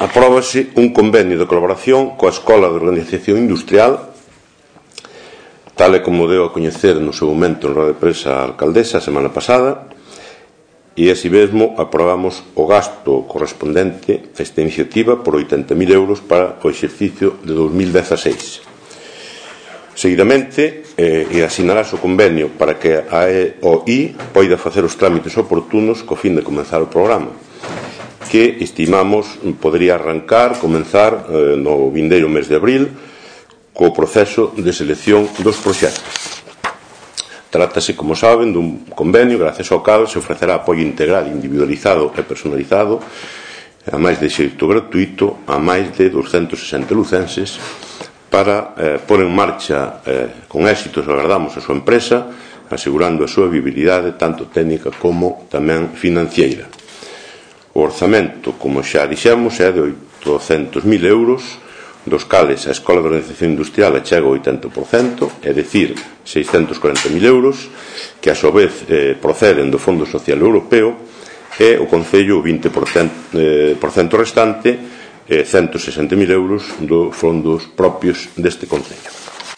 apróbase un convenio de colaboración coa Escola de Organización Industrial, tal e como deu a coñecer no seu momento en rueda de prensa a alcaldesa a semana pasada, e así mesmo aprobamos o gasto correspondente a esta iniciativa por 80.000 euros para o exercicio de 2016. Seguidamente, asinarase o convenio para que a EOI poida facer os trámites oportunos co fin de comenzar o programa, que estimamos podería comenzar no vindeiro mes de abril co proceso de selección dos proxectos. Trátase, como saben, dun convenio gracias ao cal se ofrecerá apoio integral, individualizado e personalizado a máis de xeito gratuito a máis de 260 lucenses para pôr en marcha con éxitos, agardamos, a súa empresa, asegurando a súa viabilidade tanto técnica como tamén financiera. O orzamento, como xa dixemos, é de 800.000 euros, dos cales a Escola de Organización Industrial achega o 80%, é dicir, 640.000 euros, que a súa vez proceden do Fondo Social Europeo, e o Concello o 20% restante, 160.000 euros dos fondos propios deste Concello.